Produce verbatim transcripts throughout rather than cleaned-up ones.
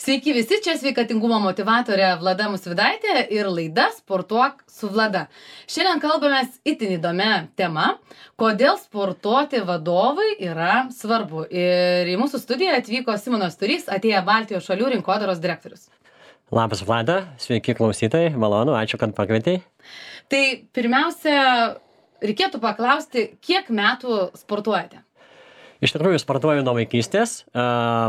Sveiki visi, čia sveikatingumo motivatorė Vlada Musvidaitė ir laida Sportuok su Vlada. Šiandien kalbamės itin įdomia tema, kodėl sportuoti vadovai yra svarbu. Ir į mūsų studiją atvyko Simonas Turys, atėję Baltijos šalių rinkodaros direktorius. Labas Vlada, sveiki klausytojai, malonu, ačiū, kad pakvietei. Tai pirmiausia, reikėtų paklausti, kiek metų sportuojate? Iš tikrųjų, sportuoju nuo vaikystės.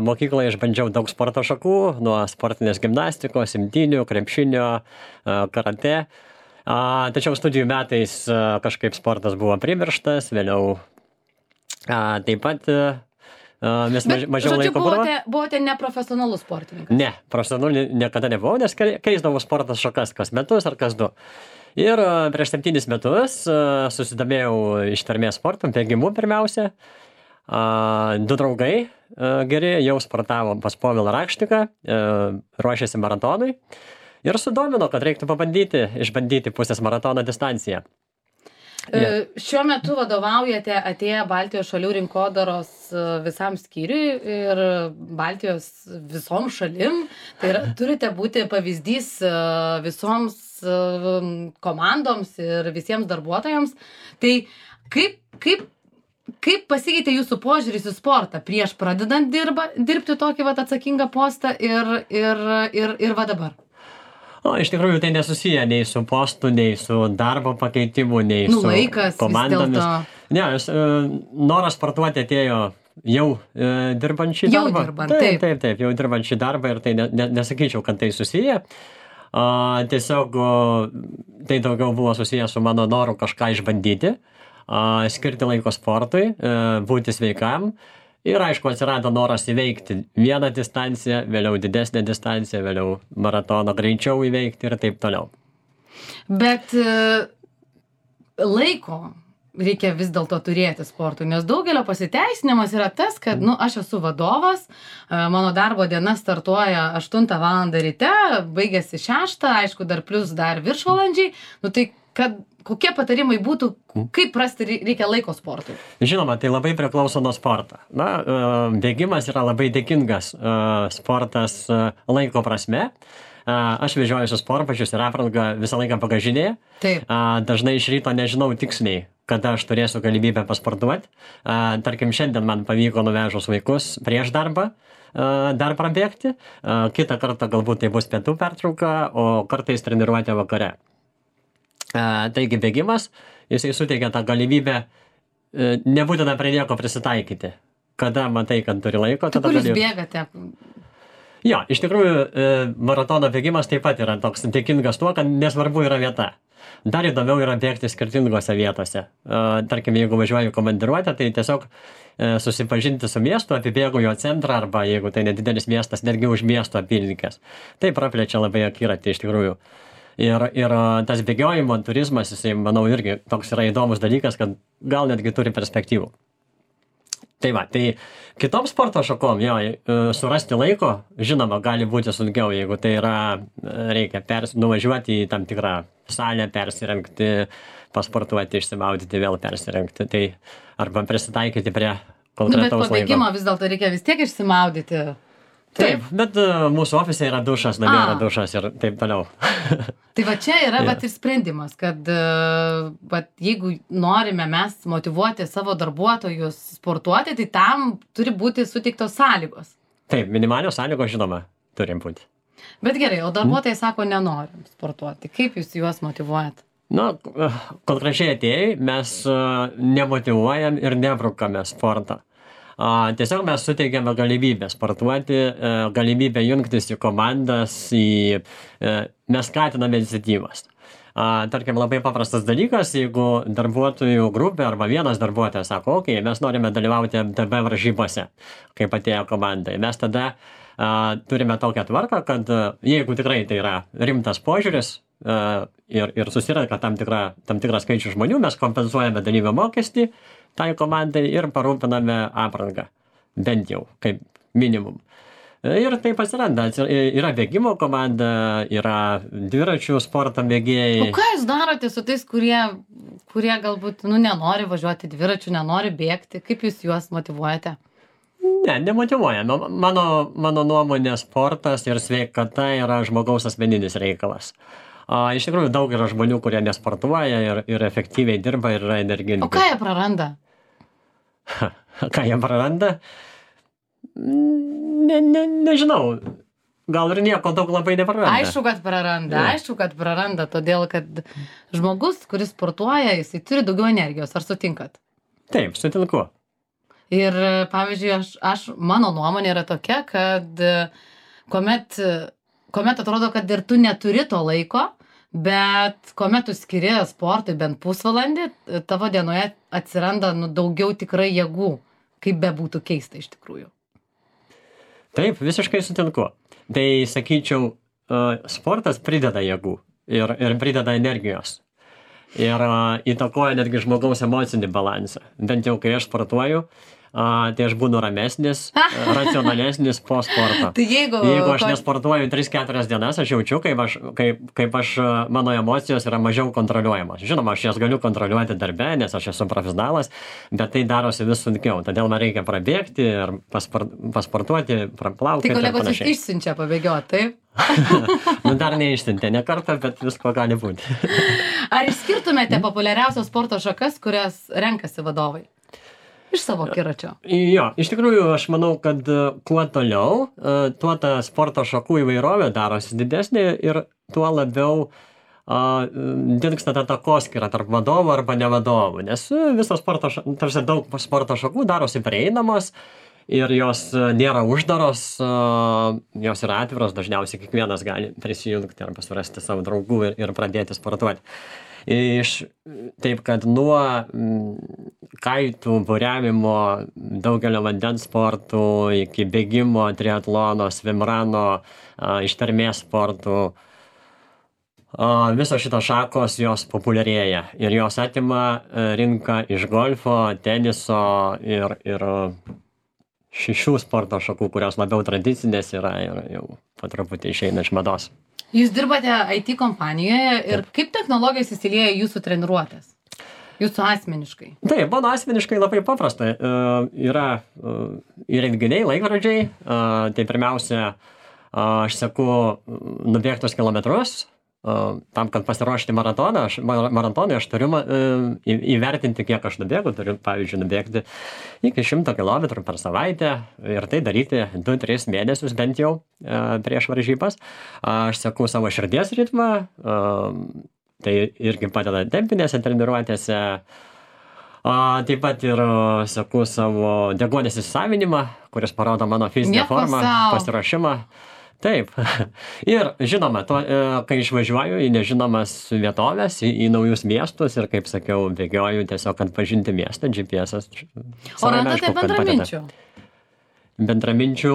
Mokykloje išbandžiau daug sporto šakų, nuo sportinės gimnastikos, imtynių, krepšinio, karate. Tačiau studijų metais kažkaip sportas buvo primirštas, vėliau taip pat mes Bet, mažiau žodžiu, laiko buvo. buvote, buvote neprofesionalus sportininkas? Ne, profesionalų niekada nebuvau, nes keisdavau sportas šakas kas metus ar kas du. Ir prieš septynis metus susidomėjau ištvermės sportu, bėgimu pirmiausia. Uh, du draugai uh, geri jau sportavo pas Povilą Rakštiką, uh, ruošėsi maratonui ir sudomino, kad reiktų pabandyti, išbandyti pusės maratono distanciją. Yeah. Šiuo metu vadovaujate atėję Baltijos šalių rinkodaros visam skyriui ir Baltijos visom šalim. Tai yra, turite būti pavyzdys visoms komandoms ir visiems darbuotojams. Tai kaip, kaip Kaip pasikeitė jūsų požiūris į sportą prieš pradedant dirba, dirbti tokį vat, atsakingą postą ir, ir, ir, ir va dabar? O, iš tikrųjų, tai nesusiję nei su postu, nei su darbo pakeitimu, nei nu, su laikas, komandomis. Ne, aš, noras sportuoti atėjo jau e, dirbant šį jau darbą. Dirbant, taip, taip, taip, taip, jau dirbant šį darbą ir tai ne, ne, nesakyčiau, kad tai susiję. A, tiesiog o, tai daugiau buvo susiję su mano noru kažką išbandyti. Uh, skirti laiko sportui, uh, būti sveikam ir aišku atsirado noras įveikti vieną distanciją, vėliau didesnę distanciją, vėliau maratoną greičiau įveikti ir taip toliau. Bet uh, laiko reikia vis dėlto turėti sportui, nes daugelio pasiteisinimas yra tas, kad nu, aš esu vadovas, uh, mano darbo diena startuoja aštuntą valandą ryte, baigėsi šeštą, aišku dar plus dar viršvalandžiai, nu tai kad kokie patarimai būtų, kaip rasti reikia laiko sportui? Žinoma, tai labai priklauso nuo sporto. Na, bėgimas yra labai dėkingas sportas laiko prasme. Aš vežiojusiu sportbačius ir aprangą visą laiką bagažinėje. Taip. Dažnai iš ryto nežinau tiksliai, kada aš turėsiu galimybę pasportuoti. Tarkim, šiandien man pavyko nuvežus vaikus prieš darbą dar prabėgti. Kitą kartą galbūt tai bus pietų pertrauka, o kartais treniruotė vakare. Taigi bėgimas, jisai suteikia tą galimybę nebūtina prie nieko prisitaikyti. Kada matai, kad turi laiko, tada gali... Kur jūs gali... bėgate? Jo, iš tikrųjų maratono bėgimas taip pat yra toks dėkingas tuo, kad nesvarbu yra vieta. Dar įdomiau yra bėgti skirtingose vietose. Tarkim, jeigu važiuoju komandiruotę, tai tiesiog susipažinti su miestu, apibėgu jo centrą arba jeigu tai nedidelis miestas, netgi už miesto apylinkės. Tai praplečia labai akiratį iš tikrųjų. Ir, ir tas bėgiojimo turizmas, jisai, manau, irgi toks yra įdomus dalykas, kad gal netgi turi perspektyvų. Tai va, tai kitom sporto šakom, jo, surasti laiko, žinoma, gali būti sunkiau, jeigu tai yra, reikia pers, nuvažiuoti į tam tikrą salę, persirengti, pasportuoti, išsimaudyti, vėl persirengti, tai arba prisitaikyti prie konkretaus laiko. Nu, bet po bėgimo vis dėlto reikia vis tiek išsimaudyti. Taip, bet uh, mūsų ofise yra dušas, namie yra dušas ir taip toliau. Tai va čia yra yeah. vat ir sprendimas, kad uh, vat jeigu norime mes motyvuoti savo darbuotojus sportuoti, tai tam turi būti suteiktos sąlygos. Taip, minimalios sąlygos, žinoma, turim būti. Bet gerai, o darbuotojai hmm. sako, nenorim sportuoti. Kaip jūs juos motyvuojat? Na, konkrečiai atėjai, mes uh, nemotyvuojam ir nebrukame sportą. A, tiesiog mes suteikiame galimybę sportuoti, e, galimybę jungtis į komandas, į, e, mes skatiname iniciatyvas. A, tarkim, labai paprastas dalykas, jeigu darbuotojų grupė arba vienas darbuotojas sako, okei, okay, mes norime dalyvauti M T B varžybose, kaip atėjo komandai. Mes tada a, turime tokią tvarką, kad a, jeigu tikrai tai yra rimtas požiūris a, ir, ir susirenka tam, tikra, tam tikrą skaičių žmonių, mes kompensuojame dalyvio mokestį tai komandai ir parūpiname aprangą, bent jau, kaip minimum. Ir taip atsiranda, yra bėgimo komanda, yra dviračių sporto mėgėjai. O ką jūs darote su tais, kurie, kurie galbūt nu, nenori važiuoti dviračių, nenori bėgti, kaip jūs juos motyvuojate? Ne, nemotyvuoja. Mano, mano nuomonė sportas ir sveikata yra žmogaus asmeninis reikalas. A, iš tikrųjų, daug yra žmonių, kurie nesportuoja ir, ir efektyviai dirba ir yra energingi. O ką jie praranda? Ką jie praranda? Ne, ne, nežinau. Gal ir nieko daug labai nepraranda. Aišku, kad praranda. Ja. Aišku, kad praranda, todėl kad žmogus, kuris sportuoja, jisai turi daugiau energijos. Ar sutinkat? Taip, sutinku. Ir, pavyzdžiui, aš, aš, mano nuomonė yra tokia, kad kuomet, kuomet atrodo, kad ir tu neturi to laiko, bet kuomet tu skiri sportui bent pusvalandį, tavo dienoje atsiranda nu, daugiau tikrai jėgų, kaip bebūtų keista iš tikrųjų. Taip, visiškai sutinku. Tai, sakyčiau, sportas prideda jėgų ir, ir prideda energijos. Ir įtakoja netgi žmogaus emocinį balansą. Bent jau, kai aš sportuoju, tai aš būnu ramesnis, racionalesnis po sporto. Tai jeigu, jeigu aš nesportuoju tris keturias dienas, aš jaučiu, kaip, aš, kaip, kaip aš, mano emocijos yra mažiau kontroliuojamos. Žinoma, aš jas galiu kontroliuoti darbe, nes aš esu profesionalas, bet tai darosi vis sunkiau. Todėl man reikia prabėgti ir pasport, pasportuoti, praplaukti. Tai kolegos iš, išsiunčia pabėgioti, taip? Nu, dar neišsiuntė, ne kartą, bet visko gali būti. Ar išskirtumėte populiariausios sporto šakas, kurias renkasi vadovai? Iš savo akiračio. Jo, iš tikrųjų, aš manau, kad kuo toliau, tuo ta sporto šakų įvairovė darosi didesnė ir tuo labiau uh, dinksta ta takoskyra tarp vadovų arba ne vadovų, nes visos sporto, tarsi daug sporto šakų darosi prieinamos ir jos nėra uždaros, uh, jos yra atviros, dažniausiai kiekvienas gali prisijungti arba surasti savo draugų ir, ir pradėti sportuoti. Iš, taip, kad nuo kaitų, buriavimo, daugelio vandens sportų iki bėgimo, triatlono, svimrano, ištvermės sportų, visos šitos šakos jos populiarėja ir jos atima rinką iš golfo, teniso ir, ir šešių sporto šakų, kurios labiau tradicinės yra ir jau po truputį išeina iš mados. Jūs dirbate I T kompanijoje ir kaip technologijos įsilieja jūsų treniruotės? Jūsų asmeniškai? Taip, mano asmeniškai labai paprasta. Uh, yra uh, įrenginiai, laikrodžiai. Uh, tai pirmiausia, uh, aš seku nubėgtus kilometrus. Uh, tam, kad pasiruošti maratoną, aš, maratonui aš turiu uh, įvertinti, kiek aš nubėgu. Turiu, pavyzdžiui, nubėgti iki šimto kilometrų per savaitę ir tai daryti du tris mėnesius bent jau uh, prieš varžybas. Uh, aš seku savo širdies ritmą, uh, tai irgi padeda tempinėse treniruotėse. Uh, taip pat ir uh, seku savo deguonies įsisavinimą, kuris parodo mano fizinę Nieko formą, sau. pasiruošimą. Taip. Ir žinoma, to, kai išvažiuoju į nežinomas vietovės, į, į naujus miestus ir, kaip sakiau, bėgioju tiesiog, kad pažinti miestą, G P S-as. O randate bendraminčių? Bendraminčių.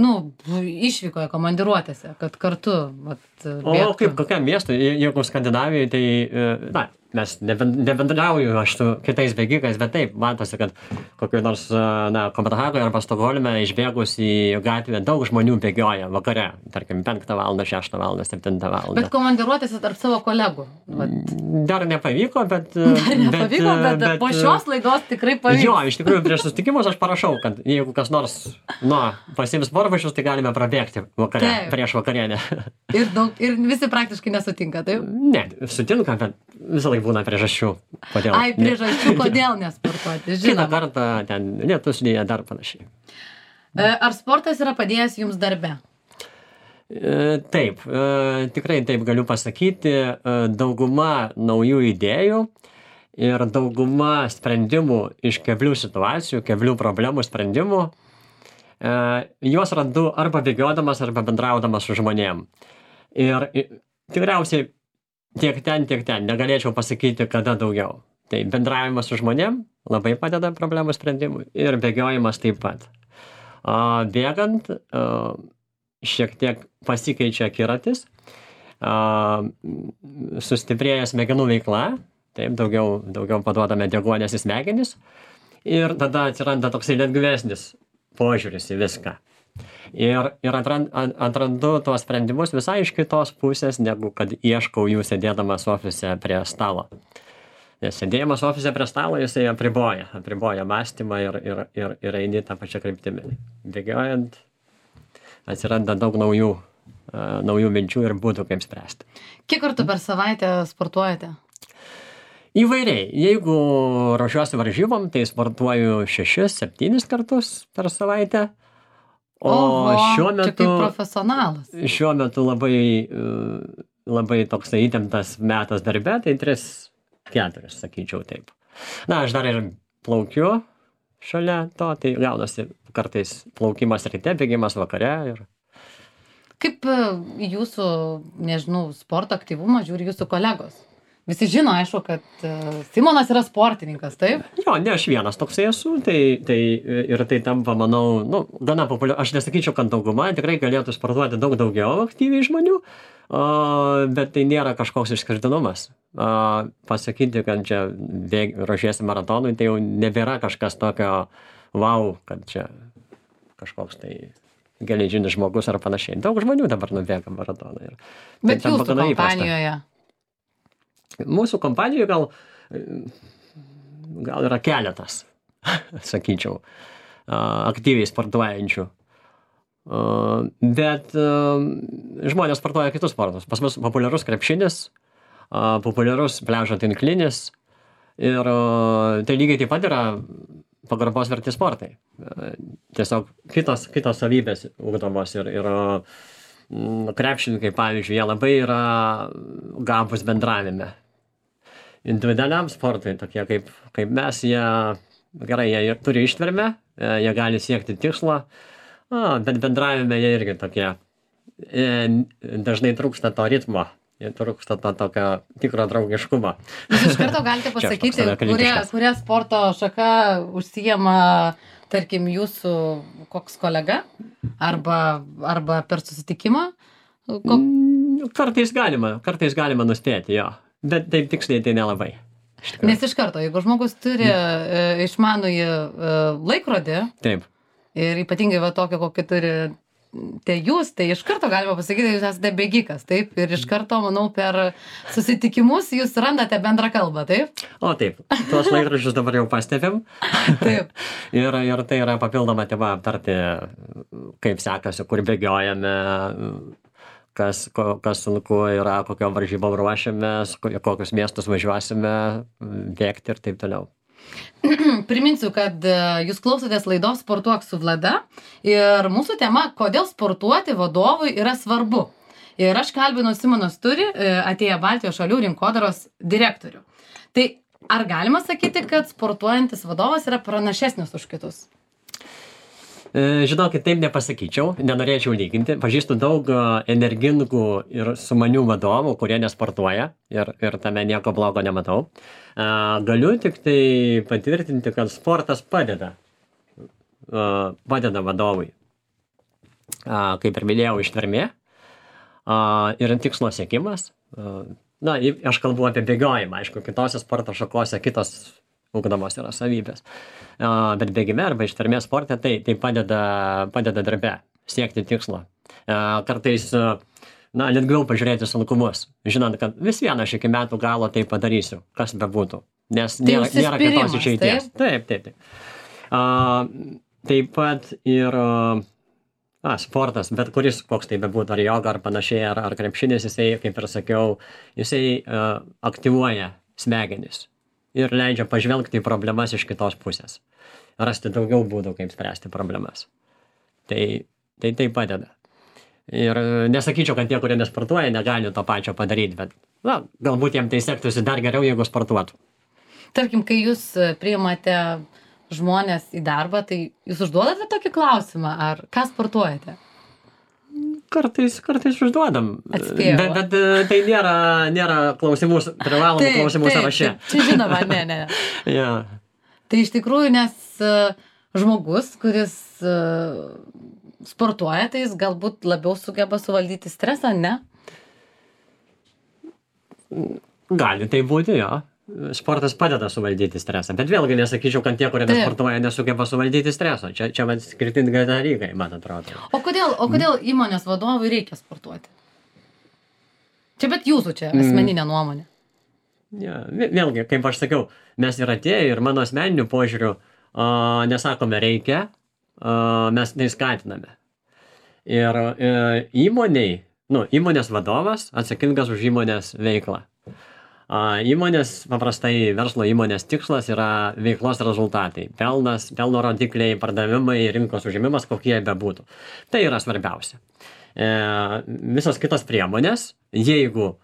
Nu, išvykoje komandiruotėse, kad kartu vat, bėgtų. O kaip kokiam miestui, jeigu Skandinavijoje, tai, na, mes nebendrauju aš su kitais bėgikais, bet taip, matosi, kad kokiu nors, na, Kopenhagoje arba Stokholme išbėgus į gatvę daug žmonių bėgioja vakare, tarkim, penktą valandą, šeštą valandą, septintą valandą. Bet komandiruotėse tarp savo kolegų? Vat. Dar nepavyko, bet... Dar nepavyko, bet, bet po šios laidos tikrai pavyko. Jo, iš tikrųjų, prieš susitikimus aš parašau, kad jeigu kas nors, nu, pasiims sportbačius, tai galime prabėgti vakare, taip, prieš vakarienę. Ir, daug, ir visi praktiškai nesutinka, taip? Ne, sutinka, bet visą laiką būna priežasčių. Kodėl? Ai, priežasčių, kodėl nesportuoti, žinoma. Kitą kartą ten lietus lyja, dar panašiai. Ar sportas yra padėjęs jums darbe? Taip, tikrai taip galiu pasakyti. Dauguma naujų idėjų ir dauguma sprendimų iš keblių situacijų, keblių problemų sprendimų, juos randu arba bėgiodamas, arba bendraudamas su žmonėm. Ir tikriausiai tiek ten, tiek ten. Negalėčiau pasakyti, kada daugiau. Tai bendravimas su žmonėm labai padeda problemų sprendimui ir bėgiojimas taip pat. O, bėgant, o, šiek tiek pasikeičia akiratis, o, sustiprėja smegenų veikla, taip, daugiau, daugiau paduodame deguonies į smegenis ir tada atsiranda toksai lengvesnis požiūris į viską. Ir, ir atrandu, atrandu tuos sprendimus visai iš kitos pusės, negu kad ieškau jų sėdėdamas ofise prie stalo. Nes sėdėjimas ofise prie stalo, jisai apriboja, apriboja mąstymą ir, ir, ir, ir eini tą pačią kryptimį. Bėgiojant atsiranda daug naujų, uh, naujų minčių ir būdų, kaip spręsti. Kiek kartų per savaitę sportuojate? Įvairiai. Jeigu ruošiuosi varžybom, tai sportuoju šešis, septynis kartus per savaitę. O Oho, šiuo čia metu, kaip profesionalas. šiuo metu labai, uh, labai toksai įtemptas metas darbe, tai tris, keturis, sakyčiau taip. Na, aš dar ir plaukiu šalia to, tai gaunasi kartais plaukimas ryte, bėgimas vakare. Ir... Kaip e, į jūsų, nežinau, sporto aktyvumą žiūri jūsų kolegos? Visi žino, aišku, kad e, Simonas yra sportininkas, taip? Jo, ne aš vienas toksai esu, tai, tai ir tai tampa, manau, nu, gana populiaru. Aš nesakyčiau, kad dauguma tikrai galėtų sportuoti daug daugiau aktyviai žmonių, o, bet tai nėra kažkoks išskirtinumas. O, pasakyti, kad čia bėg, ruošiesi maratonui, tai jau nebėra kažkas tokio, wow, kad čia kažkoks tai geležinis žmogus ar panašiai. Daug žmonių dabar nubėga maratoną. Ir Bet tai jūsų kompanijoje? Mūsų kompanijoje gal, gal yra keletas, sakyčiau, aktyviai sportuojančių. Bet žmonės sportuoja kitus sportus. Pas mus populiarus krepšinis, populiarus pliažo tinklinis ir tai lygiai taip pat yra pagarbos verti sportai. Tiesiog kitos, kitos savybės ugdomos ir, ir krepšininkai, pavyzdžiui, jie labai yra gabūs bendravime. Individualiam sportui, tokie kaip, kaip mes, jie, gerai, jie turi ištvermę, jie gali siekti tikslo, a, bet bendravime jie irgi tokie, dažnai trūksta to ritmo, jie trūksta to tokio tikro draugiškumo. Jūs iš karto galite pasakyti, kurie, kurie sporto šaka užsijama, tarkim, jūsų koks kolega, arba, arba per susitikimą? Kok... Kartais galima, kartais galima nuspėti, jo. Bet taip tiksliai tai nelabai. Nes iš karto, jeigu žmogus turi e, išmanųjį e, laikrodį, taip. Ir ypatingai va tokio, kokį turi tai jūs, tai iš karto galima pasakyti, jūs esate bėgikas, taip? Ir iš karto, manau, per susitikimus jūs randate bendrą kalbą, taip? O taip, tuos laikrodžius dabar jau pastebim. Taip. ir, ir tai yra papildoma tema aptarti, kaip sekasi, kur bėgiojame, kas, ko, kas sunku yra, kokio varžybom ruošiamės, kokius miestus važiuosime, bėgti ir taip toliau. Priminsiu, kad jūs klausotės laidos Sportuok su Vlada ir mūsų tema, kodėl sportuoti vadovui yra svarbu. Ir aš kalbinu Simoną Sturį, atėję Baltijos šalių rinkodaros direktorių. Tai ar galima sakyti, kad sportuojantis vadovas yra pranašesnis už kitus? Žinokit, taip nepasakyčiau, nenorėčiau lyginti. Pažįstu daug energingų ir sumanių vadovų, kurie nesportuoja ir, ir tame nieko blogo nematau. Galiu tik tai patvirtinti, kad sportas padeda, padeda vadovui. Kaip ir minėjau, ištvermė ir tikslo siekimas. Na, aš kalbu apie bėgiojimą, aišku, kitose sporto šakose kitos ugdomos yra savybės. Bet bėgime arba ištvermės sporte tai, tai padeda, padeda darbe siekti tikslo. Kartais, na, lengviau pažiūrėti sunkumus, žinant, kad vis vieną aš iki metų galo tai padarysiu, kas bebūtų. Nes tai nėra, nėra kitos išeities. Taip, taip, taip. taip. A, taip pat ir a, sportas, bet kuris koks tai bebūtų, ar joga, ar panašiai, ar, ar krepšinis, jisai, kaip ir sakiau, jisai a, aktyvuoja smegenis. Ir leidžia pažvelgti į problemas iš kitos pusės. Rasti daugiau būdų, kaip spręsti problemas. Tai tai, tai padeda. Ir nesakyčiau, kad tie, kurie nesportuoja, negali to pačio padaryti, bet na, galbūt jiems tai sektųsi dar geriau, jeigu sportuotų. Tarkim, kai jūs priimate žmonės į darbą, tai jūs užduodate tokį klausimą, ar ką sportuojate? Kartais, kartais užduodam. Atspėjau. Bet, bet tai nėra, nėra klausimų, privalomų Taip, klausimų taip, sąraše. taip. Čia žinoma, ne, ne. Ja. Tai iš tikrųjų, nes uh, žmogus, kuris uh, sportuoja, tai jis galbūt labiau sugeba suvaldyti stresą, ne? Gali tai būti, jo. Sportas padeda suvaldyti stresą, bet vėlgi nesakyčiau, kad tie, kurie Taip. nesportuoja, nesugeba suvaldyti streso. Čia, čia man skirtingai dalykai, man atrodo. O kodėl, o kodėl įmonės vadovui reikia sportuoti? Čia bet jūsų čia asmeninė nuomonė. Ja, vėlgi, kaip aš sakiau, mes ir atėję ir mano asmeniniu požiūriu uh, nesakome reikia, uh, mes tai skatiname. Ir uh, įmoniai, nu, įmonės vadovas atsakingas už įmonės veiklą. Uh, įmonės, paprastai verslo įmonės tikslas yra veiklos rezultatai. Pelnas, pelno rodikliai, pardavimai, rinkos užėmimas, kokie jie bebūtų. Tai yra svarbiausia. Uh, visos kitos priemonės, jeigu uh,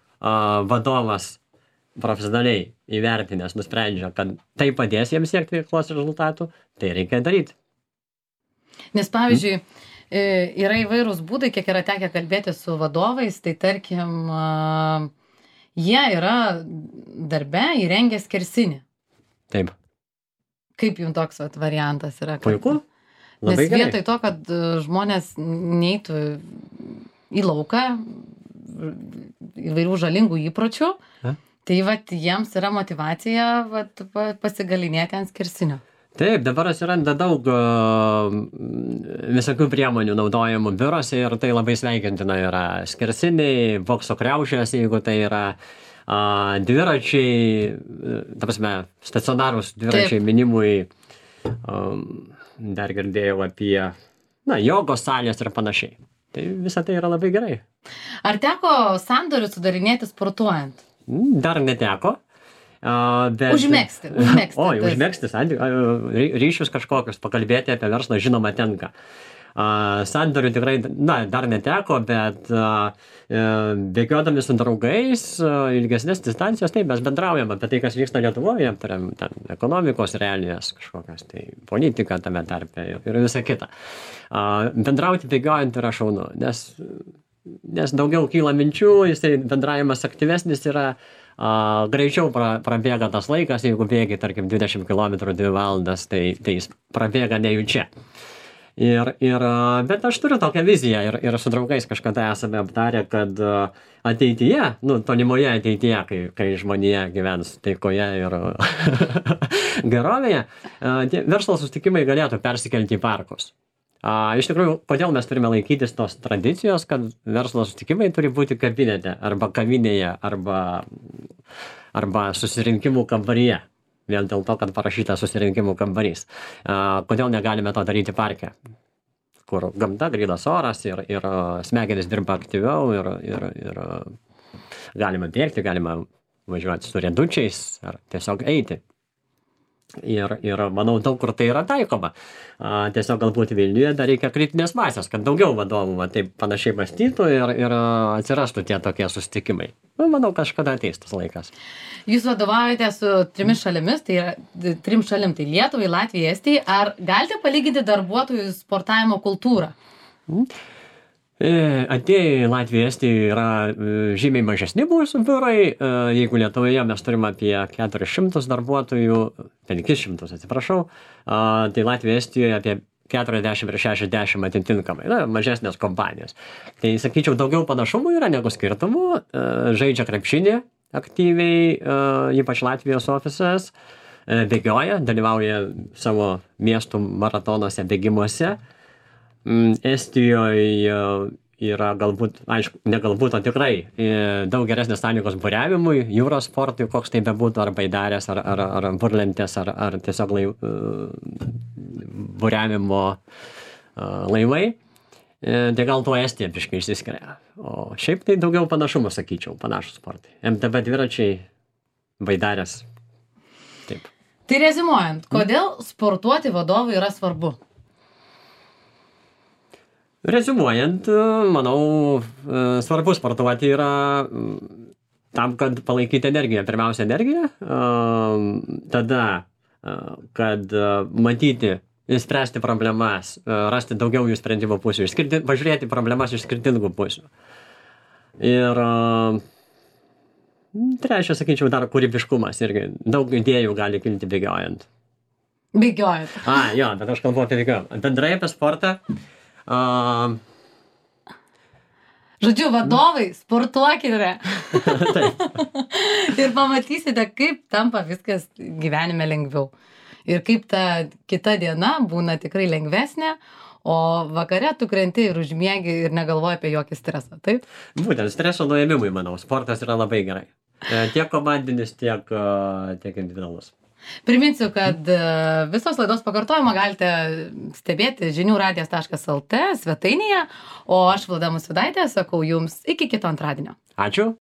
vadovas profesionaliai įvertinęs nusprendžia, kad tai padės jiems siekti veiklos rezultatų, tai reikia daryti. Nes pavyzdžiui, hmm. yra įvairūs būdai, kiek yra tekę kalbėti su vadovais, tai tarkim, jie yra darbe įrengę skersinį. Taip. Kaip jums toks vat, variantas yra? Puiku. Labai Nes vietoj to, kad žmonės neitų į lauką įvairių žalingų įpročių, A? Tai vat jiems yra motyvacija vat, pasigalinėti ant skersinio. Taip, dabar atsiranda daug uh, visokių priemonių naudojamų biurose ir tai labai sveikintina yra skersiniai, bokso kriaušės, jeigu tai yra uh, dviračiai, ta prasme, stacionarūs dviračiai Taip. Minimui, um, dar girdėjau apie na, jogos salės ir panašiai. Tai visa tai yra labai gerai. Ar teko sandorių sudarinėti sportuojant? Dar neteko. Uh, bet... Užmegzti. užmegzti Oi, užmegzti ryšius kažkokius, pakalbėti apie verslą, žinoma, tenka. Uh, sandorių tikrai, na, dar neteko, bet uh, bėgiodami su draugais, uh, ilgesnės distancijos, taip, mes bendraujam apie tai, kas vyksta Lietuvoje, aptariam ten ekonomikos realijas, kažkokias, tai politika tame tarpe ir, ir visa kita. Uh, bendrauti bėgiojant yra šaunu, nes nes daugiau kyla minčių, jisai bendravimas aktyvesnis yra, a, greičiau pra, prabėga tas laikas, jeigu bėgi, tarkim, dvidešimt kilometrų dvi valandas, tai, tai jis prabėga nejučia. Ir, ir, bet aš turiu tokią viziją ir, ir su draugais kažkada esame aptarę, kad ateityje, nu, tolimoje ateityje, kai, kai žmonija gyvens taikoje ir gerovėje, tie verslo susitikimai galėtų persikelti į parkus. A, iš tikrųjų, kodėl mes turime laikytis tos tradicijos, kad verslo susitikimai turi būti kabinete arba kavinėje arba, arba susirinkimų kambaryje. Vien dėl to, kad parašyta susirinkimų kambarys. A, kodėl negalime to daryti parke, kur gamta, grynas oras ir, ir smegenys dirba aktyviau ir, ir, ir galima bėgti, galima važiuoti su riedučiais ar tiesiog eiti. Ir, ir manau, daug kur tai yra taikoma. A, tiesiog galbūt Vilniuje dar reikia kritinės masės, kad daugiau vadovų va, taip panašiai mąstytų ir, ir atsirastų tie tokie susitikimai. Nu, manau, kažkada ateis tas laikas. Jūs vadovaujate su trimis šalimis, tai yra trim šalim, tai Lietuvai, Latvijai, Estijai. Ar galite palyginti darbuotojų sportavimo kultūrą? Mm. Atėję į Latviją, Estiją yra žymiai mažesni mūsų biurai. Jeigu Lietuvoje mes turime apie keturis šimtus darbuotojų, penkis šimtus atsiprašau, tai Latvijoje, Estijoje apie keturiasdešimt ir šešiasdešimt atitinkamai, na, mažesnės kompanijos. Tai, sakyčiau, daugiau panašumų yra negu skirtumų. Žaidžia krepšinį aktyviai, ypač Latvijos ofisas, bėgioja, dalyvauja savo miestų maratonuose, bėgimuose. Estijoje yra galbūt, aišku, ne galbūt, o tikrai daug geresnės sąlygos buriavimui, jūros sportui, koks tai bebūtų, ar baidarės, ar, ar, ar burlentės, ar, ar tiesiog lai, buriavimo laivai. Tai gal tuo Estija biškai išsiskiria. O šiaip tai daugiau panašumų, sakyčiau, panašus sportai. M T B dviračiai, baidarės. Taip. Tai rezimuojant, kodėl sportuoti vadovui yra svarbu? Reziumuojant, manau, svarbu sportuoti yra tam, kad palaikyti energiją. Pirmiausia, energiją, tada, kad matyti, spręsti problemas, rasti daugiau jų sprendimo pusių, pažiūrėti problemas iš skirtingų pusių. Ir trečia, sakyčiau, dar kūrybiškumas irgi. Daug idėjų gali kilti bėgiojant. Bėgiojant. A, jo, bet aš kalbu apie bėgiojant. Bendrai apie sportą. Uh, Žodžiu, vadovai, sportuokite. Ir pamatysite, kaip tampa viskas gyvenime lengviau. Ir kaip ta kita diena būna tikrai lengvesnė, o vakare tu krenti ir užmiegi ir negalvoji apie jokį stresą, taip? Būtent streso nuėmimui, manau, sportas yra labai gerai. Tiek komandinis, tiek, tiek individualus. Priminsiu, kad visos laidos pakartojimą galite stebėti žinių radijas taškas lt svetainėje, o aš Vlada Musvydaitė sakau jums iki kito antradienio. Ačiū.